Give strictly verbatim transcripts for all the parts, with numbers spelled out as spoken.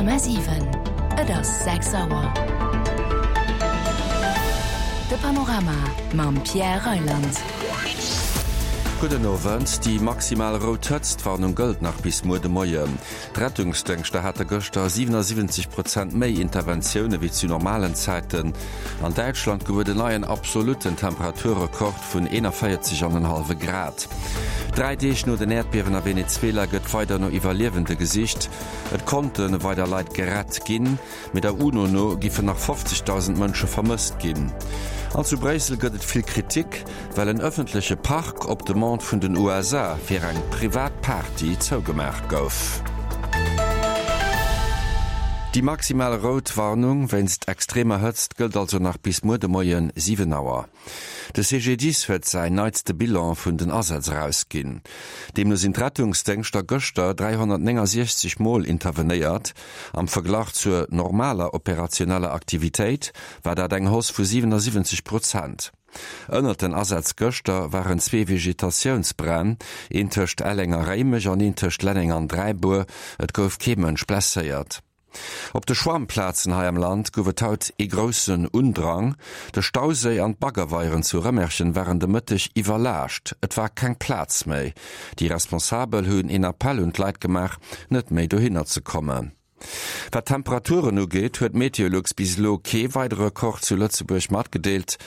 Komma siwen, Et ass sechs Auer. De Panorama mam Pierre Reyland. Gudden Owend. Déi maximal rout Hëtztwarnung gëllt nach bis muer de Moien. D'Rettungsdéngschter hate gëschter siwenasiwwenzeg Prozent méi Interventioune wéi zu normalen Zäiten. An Däitschland gouf et en neien absolutten Temperaturrekord vun eenavéierzeg an en hallwe Grad. Dräi Deeg no den Äerdbiewen a Venezuela gëtt weider no Iwwerliewende gesicht. Et konnte weider Leit gerett ginn, mee der UNO no giffen nach fofzegdausend Mënsche vermësst ginn. An zu Bréissel gëtt et vill Kritik, well en ëffentleche Park op Demande vun den U S A fir eng privat Party zougemaach gouf. Déi maximal rout Warnung wéinst extremer Hëtzt gëllt also nach bis muer de Moien siwen Auer. De C G D I S huet säin neitste Bilan vun den Asätz erausginn. Deemno sinn d'Rettungsdéngschter gëschter dräihonnertnéngansiechzeg Mol intervenéiert. Am Verglach zur normaler operationeller Aktivitéit war dat eng Hausse vu siwenasiwwenzeg Prozent. Ënnert den Asätz gëschter waren zwee Vegetatiounsbränn, een tëscht Elleng a Réimech an een tëscht Lenneng an Dräibuer. Et gouf kee Mënsch blesséiert. Op de Schwammplazen hei am Land gouf et haut ee groussen Undrang. De Stauséi an d'Baggerweieren zu Rëmerschen waren de Mëtteg iwwerlaascht, et war keng Plaz méi. Déi Responsabel hunn een Appell un d'Leit gemaach, net méi dohinner ze kommen. Wat d'Temperaturen ugeet, huet Meteolux bis elo kee weidere Rekord zu Lëtzebuerg matgedeelt.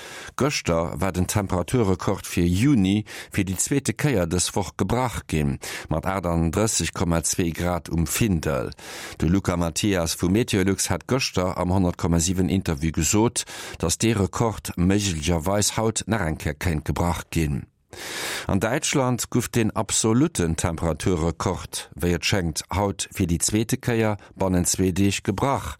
Gëschter war den Temperaturrekord fir Juni fir déi zweete Kéier dës Woch gebrach ginn, mat achtandrësseg Komma zwee Grad um Findel. De Luca Mathias vu Meteolux hat gëschter am honnert Komma siwen Interview gesot, datt dee Rekord méiglecherweis haut nach eng Kéier kéint gebrach ginn. An Däitschland gouf den absolutten Temperaturrekord, wéi et schéngt, haut fir déi zweete Kéier bannent zwee Deeg gebrach.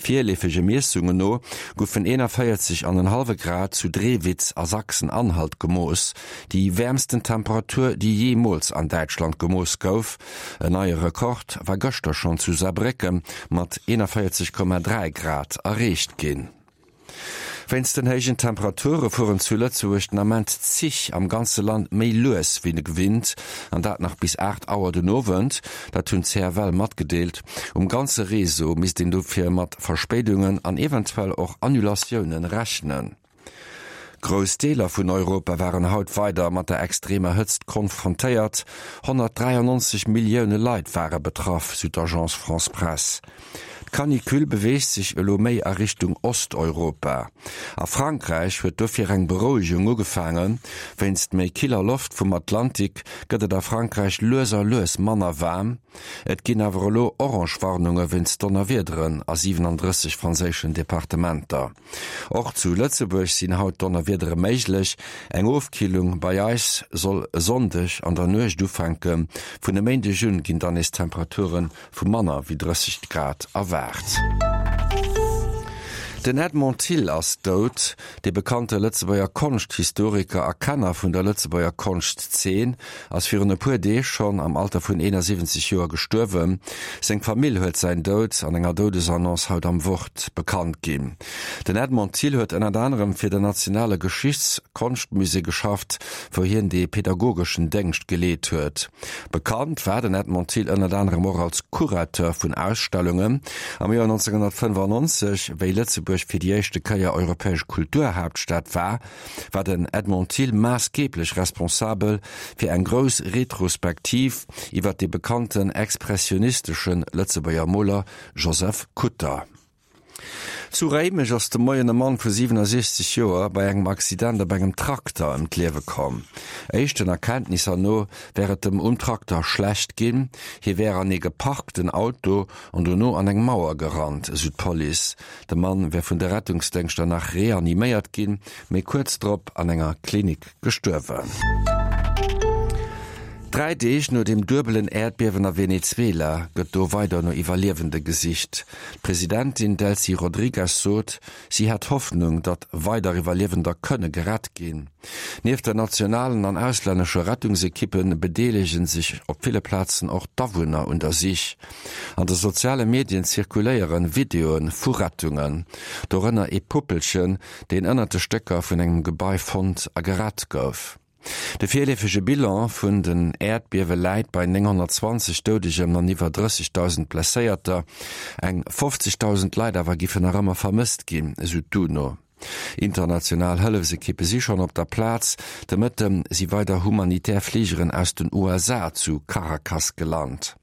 Virleefege Miessungen no goufen eenavéierzeg an en hallwe Grad zu Drewitz a Sachsen-Anhalt gemooss, déi wäermsten Temperatur, déi jeemools an Däitschland gemooss gouf. En neie Rekord war gëschter schonn zu Saarbrécken mat eenavéierzeg Komma dräi Grad erreecht ginn. Wéinst den héijen Temperature fueren zu Lëtzebuerg den Ament d'Zich am ganze Land méi lues wéi gewinnt, an dat nach bis aacht Auer den Owend, dat hunn d'C F L matgedeelt. Um ganze Réseau misst een dofir mat Verspéidungen an eventuell och Annulatioune rechnen. Grouss Deeler vun Europa waren haut weider mat der extremer Hëtzt konfrontéiert. honnertdräiannonzeg Millioune Leit ware betraff, sou d'Agence France-Presse. D'Canicule beweegt sech elo méi a Richtung Osteuropa. A Frankräich huet dofir eng Berouegung ugefaangen. Wéinst méi killer Loft vum Atlantik gëtt et a Frankräich lues a lues manner waarm. Et ginn awer elo orange Warnunge wéinst Donnerwiederen a siwenandrësseg franséischen Departementer. Och zu Lëtzebuerg sinn haut Donnerwiedere méiglech. Eng Ofkillung bei eis soll e Sonndeg an der Nuecht ufänken. Vun e Méindeg un ginn dann nees Temperature vu manner wéi drësseg Grad erwaart. Den Edmond Thill ass dout. De bekannte Lëtzebuerger Konschthistoriker a Kenner vun der Lëtzebuerger Konschtzeen ass virun e puer Deeg schonn am Alter vun eenasiwwenzeg Joer gestuerwen. Seng Famill huet säin Doud an enger Doudesannonce haut am Wort bekannt ginn. Den Edmond Thill huet ënnert anerem fir den nationale Geschichts-Konschtmusée geschafft, wou hien de pädagogeschen Déngscht geleet huet. Bekannt war den Edmond Thill ënnert anerem och als Curateur vun Ausstellungen. Am Joer nonzénghonnertfënnefannonzeg, wéi Lëtzebuerg fir déi éischte Kéier europäesch Kulturhaaptstad war, war den Edmond Thill maassgeeblech responsabel fir eng grouss Retrospektiv iwwer de bekannten expressionistesche Lëtzebuerger Moler Joseph Kutter. Zu Réimech ass de Moien e Mann vu siwenasiechzeg Joer bei engem Accident op engem Trakter ëm d'Liewe komm. Éischten Erkenntnisser no wär et em um Trakter schlecht ginn, hie wär an ee geparkten Auto an dono an eng Mauer gerannt, esou d'Police. De Mann wär vun de Rettungsdéngschter nach reaniméiert ginn, mee kuerz drop an enger Klinik gestuerwen. Dräi Deeg no dem duebelen Äerdbiewen a Venezuela gëtt do weider no Iwwerliewende gesicht. D'Presidentin Delcy Rodrigues sot, si hätt Hoffnung, datt weider Iwwerliewender kënne gerett ginn. Nieft der nationalen an auslännesche Rettungsekippe bedeelege sech op ville Plazen och d'Awunner un der Sich. An de soziale Medien zirkuléiere Videoe vu Rettungen, dorënner ee Puppelchen, deen ënnert de Stécker vun engem Gebai fonnt a gerett gouf. De virleefege Bilan vun den Äerdbiewe läit bei nénghonnertzwanzeg Doudegen an iwwer drëssegdausend Blesséierter. Eng fofzegdausend Leit awer giffen nach ëmmer vermësst ginn, esou d'UNO. International Hëllefsekippe si schonn op der Plaz. De Mëtte si weider humanitär Fligeren aus den U S A zu Caracas gelant.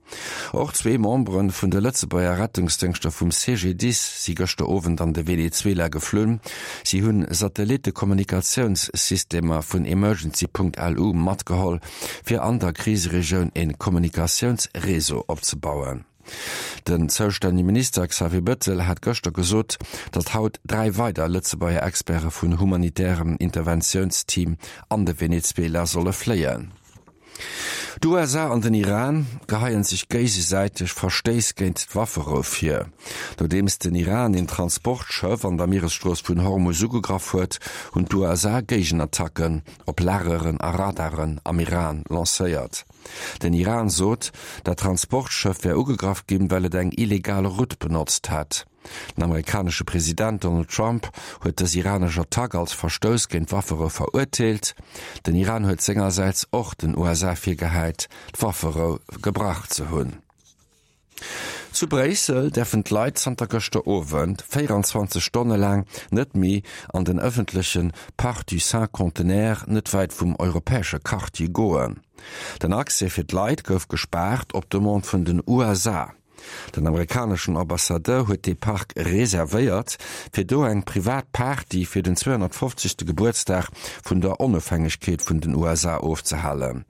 Och zwee Membere vun de Lëtzebuerger Rettungsdéngschter vum C G D I S si gëschter Owend an de Venezuela geflunn. Si hunn Satellittekommunikatiounssystemer vun Emergency Punkt L U matgeholl, fir an der Kriseregioun e Kommunikatiounsreseau opzebauen. Den zoustännege Minister Xavier Bettel hat gëschter gesot, datt haut dräi weider Lëtzebuerger Experte vun humanitärem Interventiounsteam an de Venezuela solle fléien. D'U S A an den Iran geheien sech géigesäiteg Verstéiss géint d'Wafferou vir. Nodeems den Iran een Transportschëff an der Mieresstrooss vun Hormus ugegraff huet, hunn d'U S A Géigenattacken op Lageren a Radaren am Iran lancéiert. Den Iran sot, dat Transportschëff wär ugegraff ginn, well et eng illegal Route benotzt hätt. Den amerikanesche President Donald Trump huet dës iranesch Attack als Verstouss géint d'Wafferou verurteelt. Den Iran huet sengersäits och den U S A virgehäit, d'Wafferou gebrach ze hunn. Zu Bréissel däerfen d'Leit zanter gëschter Owend véierundzwanzeg Stonne laang net méi an den ëffentleche Parc du Cinquantenaire net wäit vum europäesche Quartier goen. Den Accès fir d'Leit gouf gespaart op Demande vun den U S A. Den amerikaneschen Ambassadeur huet de Park reservéiert, fir do eng privat Party fir den zweihunnertfofzigste Gebuertsdag vun der Onofhängegkeet vun den U S A ofzehalen.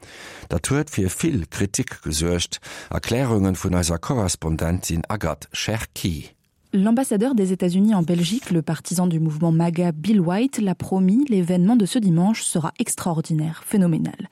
Dat huet fir vill Kritik gesuergt, Erklärungen vun eiser Korrespondentin Agathe Cherki. L'ambassadeur des États-Unis en Belgique, le partisan du mouvement MAGA Bill White, l'a promis, l'événement de ce dimanche sera extraordinaire, phénoménal.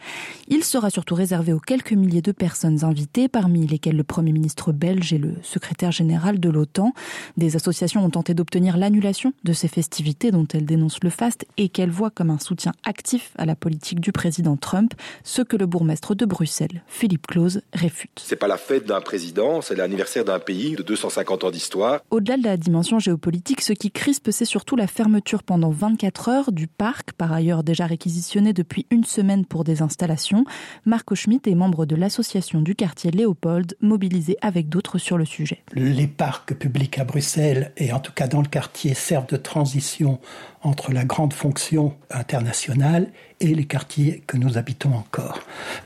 Il sera surtout réservé aux quelques milliers de personnes invitées, parmi lesquelles le Premier ministre belge et le secrétaire général de l'OTAN. Des associations ont tenté d'obtenir l'annulation de ces festivités dont elles dénoncent le faste et qu'elles voient comme un soutien actif à la politique du président Trump, ce que le bourgmestre de Bruxelles, Philippe Close, réfute. C'est pas la fête d'un président, c'est l'anniversaire d'un pays de deux cent cinquante ans d'histoire. Au-delà de la dimension géopolitique, ce qui crispe, c'est surtout la fermeture pendant vingt-quatre heures du parc, par ailleurs déjà réquisitionné depuis une semaine pour des installations. Marco Schmitt est membre de l'association du quartier Léopold, mobilisé avec d'autres sur le sujet. Les parcs publics à Bruxelles, et en tout cas dans le quartier, servent de transition entre la grande fonction internationale et les quartiers que nous habitons encore.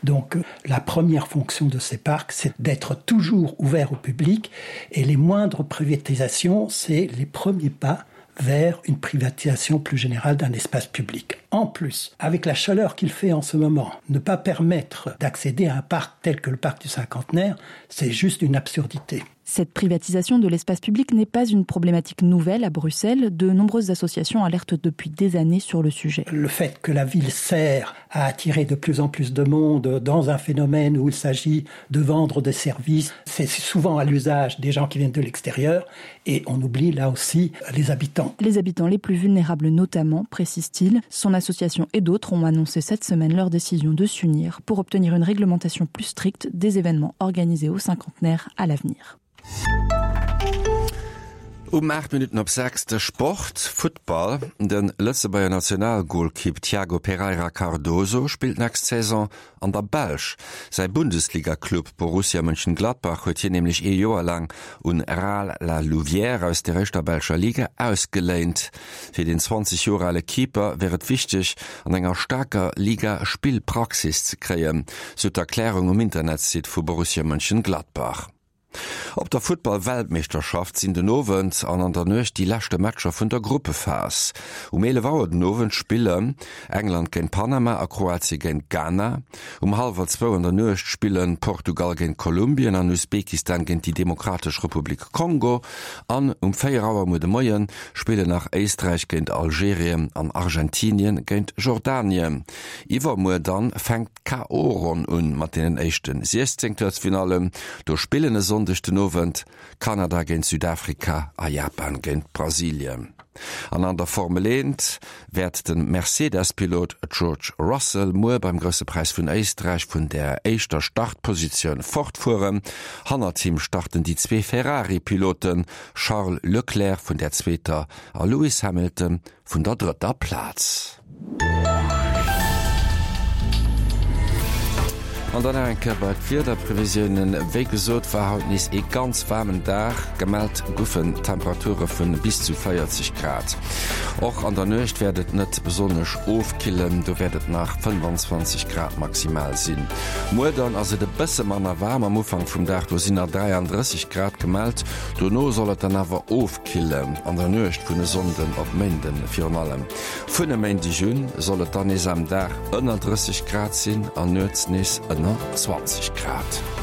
Donc la première fonction de ces parcs, c'est d'être toujours ouvert au public, et les moindres privatisations, c'est les premiers pas vers une privatisation plus générale d'un espace public. En plus, avec la chaleur qu'il fait en ce moment, ne pas permettre d'accéder à un parc tel que le parc du Cinquantenaire, c'est juste une absurdité. Cette privatisation de l'espace public n'est pas une problématique nouvelle à Bruxelles. De nombreuses associations alertent depuis des années sur le sujet. Le fait que la ville sert à attirer de plus en plus de monde dans un phénomène où il s'agit de vendre des services, c'est souvent à l'usage des gens qui viennent de l'extérieur et on oublie là aussi les habitants. Les habitants les plus vulnérables notamment, précise-t-il. Son association et d'autres ont annoncé cette semaine leur décision de s'unir pour obtenir une réglementation plus stricte des événements organisés au Cinquantenaire à l'avenir. Um acht Minuten op sechs de Sport, Football. Den Lëtzebuerger Nationalgoalkeep Tiago Pereira Cardoso spillt nächst Saison an der Belsch. Säi Bundesliga-Club Borussia Mönchengladbach huet hien nämlech ee Joer lang un Ral La Louvière aus der éischter belscher Liga ausgeléint. Fir den zwanzeg Joer ale Keeper wär et wichteg, an enger starker Liga Spillpraxis ze kréien, sou d'Erklärung um Internetsite vu Borussia Mönchengladbach. Op der Futtball-Weltmeeschterschaft sinn den Owend an an der Nuecht déi leschte Matcher vun der Gruppephas. Um eelef Auer den Owend spillen England géint Panama a Kroatien géint Ghana. Um hallwer zwou an der Nuecht spillen Portugal géint Kolumbien an Usbekistan géint déi Demokratesch Republik Kongo. An um véier Auer muer de Moien spillen nach Éisträich géint Algerien an Argentinien géint Jordanien. Iwwermuer dann fänkt d'K O-Ronn un mat deenen éischten Siechzehntelfinallen. Do spillen e Sonndeg den Owend Kanada géint Südafrika a Japan géint Brasilien. An an der Formel eent wäert den Mercedes-Pilot George Russell muer beim Grousse Präis vun Éisträich vun der éischter Startpositioun fortfueren. Hannert him starten déi zwee Ferrari-Piloten Charles Leclerc vun der zweeter a Lewis Hamilton vun der drëtter Plaz. An dann nach eng Kéier bei d'Wiederprevisiounen. Wéi gesot war haut nees ee ganz waarmen Dag, gemellt goufen Temperature vu bis zu véierzeg Grad. Och an der Nuecht wäert et net besonnesch ofkillen, do wäert et nach fënnfanzwanzeg Grad maximal sinn. Muer dann ass et e bësse manner waarm am Ufank vum Dag, do sinn nach dräiandrësseg Grad gemellt. Dono soll et dann awer ofkillen, an der Nuecht vun e Sonnden op Méinden virun allem. Vun e Méindeg un soll et dann nees am Dag ënner drësseg Grad sinn an nuets nees ënner zwanzeg Grad.